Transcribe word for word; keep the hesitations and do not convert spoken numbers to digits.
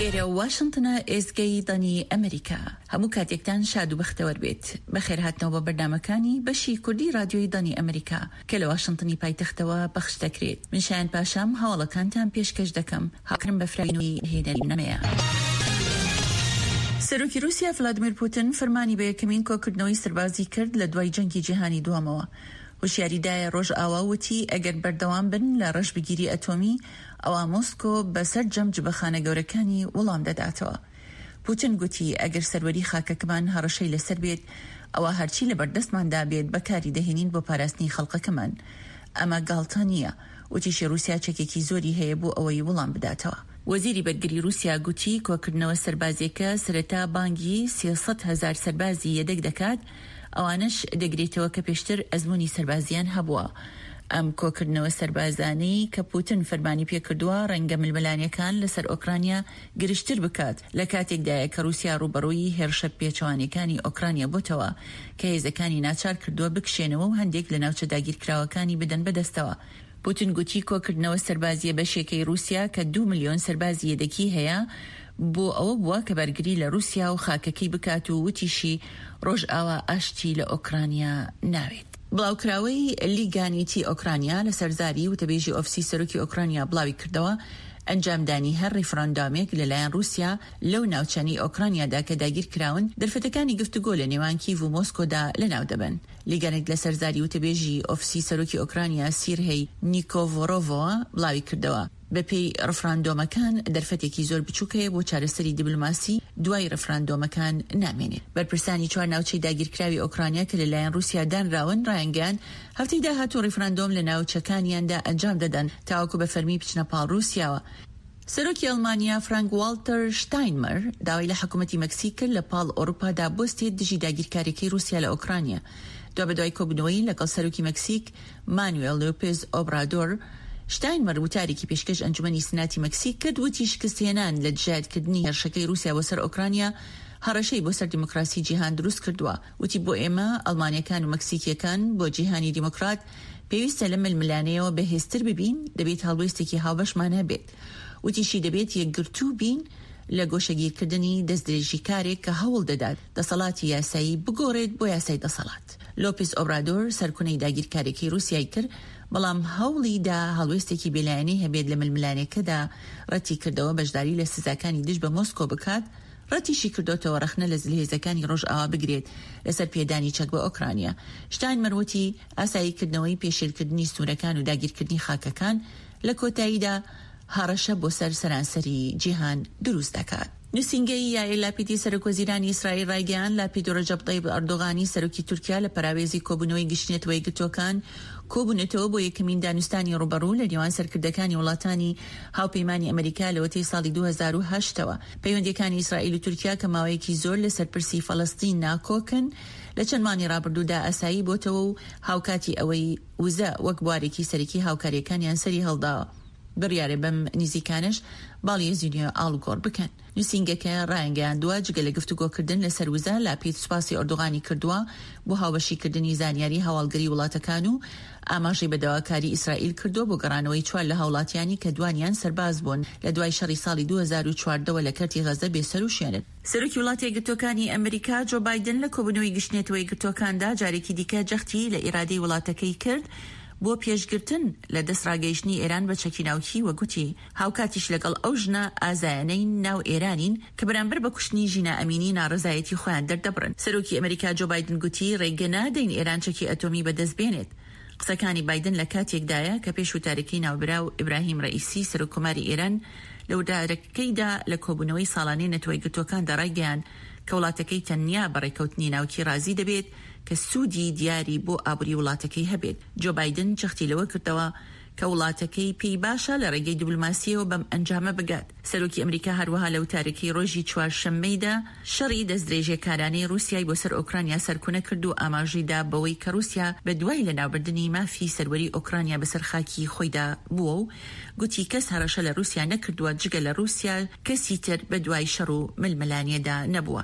ئێرە واشنتنە، ئێزگەی دەنگی ئەمریکا. هەموو کاتێکتان شاد و بەختەوەر بێت. بەخێرهاتنەوە بە بەرنامەکانی بەشی کوردی رادیۆی دەنگی ئەمریکا کە لە واشنتنی پایتەختەوە پەخش دەکرێت. من شایان پاشام هەواڵەکانتان پێشکەش دەکەم. هاوکارم بەفراوی هێنەری نەمەیە. سەرۆکی رووسیا ڤلادیمیر پوتن فەرمانی بە یەکەمین کۆکردنەوەی سەربازی کرد لە دوای جەنگی جیهانی دووەمەوە. هۆشیاری دایە ڕۆژئاوا وتی ئەگەر بەردەوام بن لە ڕەشبگیری ئەتۆمی ئەوا مۆسکۆ بە سەرجەم جبەخانە گەورەکانی وەڵام دەداتەوە. پوتن گوتی ئەگەر سەروەری خاکەکەمان هەڕەشەی لەسەر بێت ئەوا هەرچی لە بەردەستماندا بێت بەکاری دەهێنین بۆ پاراستنی خەڵکەکەمان. ئەمە گاڵتە نییە. وتیشی رووسیا چەکێکی زۆری هەیە بۆ ئەوەی وەڵام بداتەوە. وەزیری بەرگری رووسیا گوتی کۆکردنەوە سەربازیەکە سەرەتا بانگی سێ سەد هەزار سەربازی یەدەگ دەکات، ئەوانەش دەگرێتەوە کە پێشتر ئەزموونی سەربازیان هەبووە. ئەم کۆکردنەوە سەربازانەی کە پوتن فەرمانی پێکردووە ڕەنگە ململانێکان لەسەر ئۆکرانیا گرژتر بکات، لە کاتێکدایە کە رووسیا ڕووبەڕووی هێرشە پێچەوانەکانی ئۆکرانیا بۆتەوە کە هێزەکانی ناچار کردووە بکشێنەوە و هەندێک لە ناوچە داگیرکراوەکانی بدەن بەدەستەوە. پوتن گوتی کۆکردنەوە سەربازیە بەشێکەی رووسیا کە دوو ملیۆن سەربازی یەدەکی هەیە بۆ ئەوە بووە کە بەرگری لە رووسیا و خاکەکەی بکات و وتیشی ڕۆژئاوا ئاشتی لە ئۆکرانیا ناوێت. بڵاوکراوەی لیگانیتی ئۆکرانیا لەسەر زاری وتەبێژی ئۆفسی سەرۆکی ئۆکرانیا بڵاوی کردەوە ئەنجامدانی هەر ڕیفراندۆمێک لەلایەن رووسیا لەو ناوچانەی ئۆکرانیادا کە داگیر کراون دەرفەتەکانی گفتوگۆ لە نێوان کیڤ و مۆسکۆدا لەناو دەبەن. لیگانێت لەسەر زاری وتەبێژی ئۆفسی سەرۆکی ئۆکرانیا سیرهی نیکۆڤۆرۆڤەوە بڵاوی کردەوە بەپێی ڕفراندۆمەکان دەرفەتێکی زۆر بچووک هەیە بۆ چارەسەری دیبلۆماسی دوای ڕفراندۆمەکان نامێنێت. بەرپرسانی چوار ناوچەی داگیرکراوی ئۆکرانیا کە لەلایەن رووسیا دانراون ڕایانگەیاند هەفتەی داهاتوو ڕیفراندۆم لە ناوچەکانیاندا ئەنجام دەدەن تاوەکو بە فەرمی بچنە پاڵ رووسیاوە. سەرۆکی ئەڵمانیا فرانک والتەر شتاینمەر داوای لە حکوومەتی مەکسیک کرد لە پاڵ ئەوروپادا بوەستێت دژی داگیرکاریەکەی رووسیا لە ئۆکرانیا. دوابەدوای کۆبوونەوەی لەگەڵ سەرۆکی مەکسیک مانوێل لۆپێز ئۆبرادۆر، شتاینمەر وتارێکی پێشکەش ئەنجومەنی سناتی مەکسیک کرد وتی شکستهێنان لە دژایەتکردنی هێرشەکەی رووسیا بۆ سەر ئۆکرانیا هەڕەشەی بۆ سەر دیموکراسی جیهان دروست کردووە. وتی بۆ ئێمە ئەڵمانیەکان و مەکسیکیەکان بۆ جیهانی دیموکرات پێویستە لە ململانێیەوە بەهێزتر ببین، دەبێت هەڵوێستێکی هاوبەشمان هەبێت. وتیشی دەبێت یەکگرتوو بین لە گۆشەگیرکردنی دەستدرێژیکارێک کە هەوڵ دەدات دەسەڵاتی یاسایی بگۆڕێت بۆ یاسای دەسەڵات. لۆپێز ئۆبرادۆر سەرکونەی داگیرکاریەکەی رووسیای کرد، بەڵام هەوڵی دا هەڵوێستێکی بێلایەنەی هەبێت لە ململانێکەدا، ڕەتی کردەوە بەشداری لە سزاکانی دژ بە مۆسکۆ بکات، ڕەتیشی کردۆتەوە ڕەخنە لە زلهێزەکانی ڕۆژئاوا بگرێت لەسەر پێدانی چەک بە ئۆکرانیا. شتاینمەر وتی ئاساییکردنەوەی پێشێلکردنی سنوورەکان و داگیرکردنی خاکەکان لە کۆتاییدا هەڕەشە بۆ سەر سەرانسەری جیهان دروست دەکات. نووسینگەی یائیر لاپیدی سەرۆکوەزیرانی ئیسرائیل ڕایگەیاند، لاپید و ڕەجەب تەیب ئەردۆغانی سەرۆکی تورکیا لە پەراوێزی کۆبوونەوەی گشتی نەتەوە یەکگرتووەکان کۆبوونەتەوە بۆ یەکەمین دانوستانی ڕووبەڕوو لە نێوان سەرکردەکانی وڵاتانی هاوپەیمانی ئەمریکا لەوەتەی ساڵی دوو هەزار و هەشت ەوە. پەیوەندییەکانی ئیسرائیل و تورکیا کە ماوەیەکی زۆر لەسەر پرسی فەلەستین ناکۆکن لە چەند مانگی ڕابردوودا ئاسایی بۆتەوە و هاوکاتی ئەوەی وزە وەک بوارێکی سەرەکی هاوکارییەکانیان سەریهەڵداوە، بڕیارە بەم نزیکانەش باڵیۆزی نوێ ئاڵوگۆڕ بکەن. نووسینگەکە ڕایانگەیاندووە، جگە لە گفتوگۆکردن لەسەر وزە، لاپید سوپاسی ئۆردوغانی کردووە بۆ هاوبەشیکردنی زانیاری هەواڵگری وڵاتەکان و ئاماژەی بە داواکاری ئیسرائیل کردووە بۆ گەڕانەوەی چوار لە هاوڵاتیانی کە دوانیان سەرباز بوون لە دوای شەڕی ساڵی دوو هەزار و چواردە وە لە کەرتی غەزە بێسەروشوێنن. سەرۆکی وڵاتە یەکگرتووەکانی ئەمریکا جۆ بایدن لە کۆبوونەوەی گشتی نەتەوە یەکگرتووەکاندا جارێکی دیکە جەختی لە ئیرادەی وڵاتەکەی کرد بۆ پێشگرتن لە دەستڕاگەیشتنی ئێران بە چەکی ناوکی و گوتی هاوکاتیش لەگەڵ ئەو ژنە ئازایانەی ناو ئێرانین کە بەرامبەر بە کوشتنی ژینا ئەمینی ناڕەزایەتی خۆیان دەردەبڕن. سەرۆکی ئەمریکا جۆ بایدن گوتی ڕێگە نادەین ئێران چەکی ئەتۆمی بەدەست بێنێت. قسەکانی بایدن لە کاتێکدایە کە پێش وتارەکەی ناوبراو ئیبراهیم ڕەئیسی سەرۆک کۆماری ئێران لە وتارەکەیدا لە کۆبوونەوەی ساڵانەی نەتەوە یەکگرتووەکاندا ڕایگەیاند کە وڵاتەکەی تەنیا بە ڕێککەوتنی ناوکی ڕازی دەبێت کە سوودی دیاری بۆ ئابووری وڵاتەکەی هەبێت. جۆ بایدن جەختی لەوە کردەوە کە وڵاتەکەی پێی باشە لە ڕێگەی دیبلۆماسییەوە بەم ئەنجامە بگات. سەرۆکی ئەمریکا هەروەها لە وتارەکەی ڕۆژی چوارشەممەیدا شەڕی دەستدرێژیکارانەی ڕووسیای بۆ سەر ئۆکرانیا سەرکونە کرد و ئاماژەی دا بەوەی کە ڕووسیا بە دوای لەناوبردنی مافی سەروەری ئۆکرانیا بەسەر خاکی خۆیدا بووە و گوتی کەس هەڕەشە لە ڕووسیا نەکردووە، جگە لە ڕووسیا کەسی تر بە دوای شەڕ و ململانێدا نەبووە.